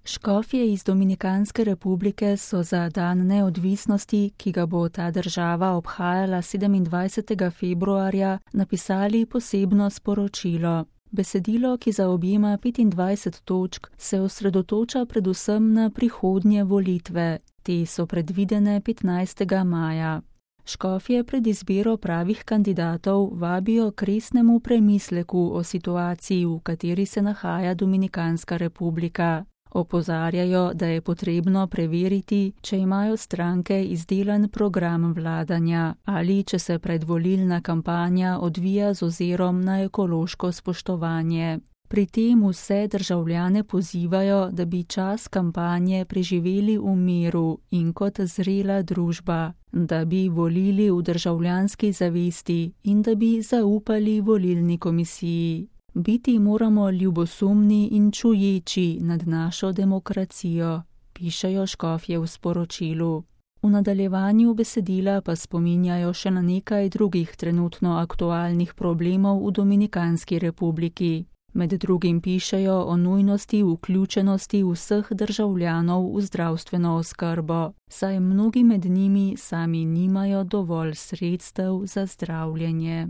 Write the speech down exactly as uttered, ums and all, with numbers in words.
Škofje iz Dominikanske republike so za dan neodvisnosti, ki ga bo ta država obhajala sedemindvajsetega februarja, napisali posebno sporočilo. Besedilo, ki zaobjema petindvajset točk, se osredotoča predvsem na prihodnje volitve. Te so predvidene petnajstega maja. Škofje pred izbiro pravih kandidatov vabijo k resnemu premisleku o situaciji, v kateri se nahaja Dominikanska republika. Opozarjajo, da je potrebno preveriti, če imajo stranke izdelan program vladanja ali če se predvolilna kampanja odvija z ozirom na ekološko spoštovanje. Pri tem vse državljane pozivajo, da bi čas kampanje preživeli v miru in kot zrela družba, da bi volili v državljanski zavesti in da bi zaupali volilni komisiji. Biti moramo ljubosumni in čuječi nad našo demokracijo, pišejo škofje v sporočilu. V nadaljevanju besedila pa spominjajo še na nekaj drugih trenutno aktualnih problemov v Dominikanski republiki. Med drugim pišejo o nujnosti vključenosti vseh državljanov v zdravstveno oskrbo, saj mnogi med njimi sami nimajo dovolj sredstev za zdravljenje.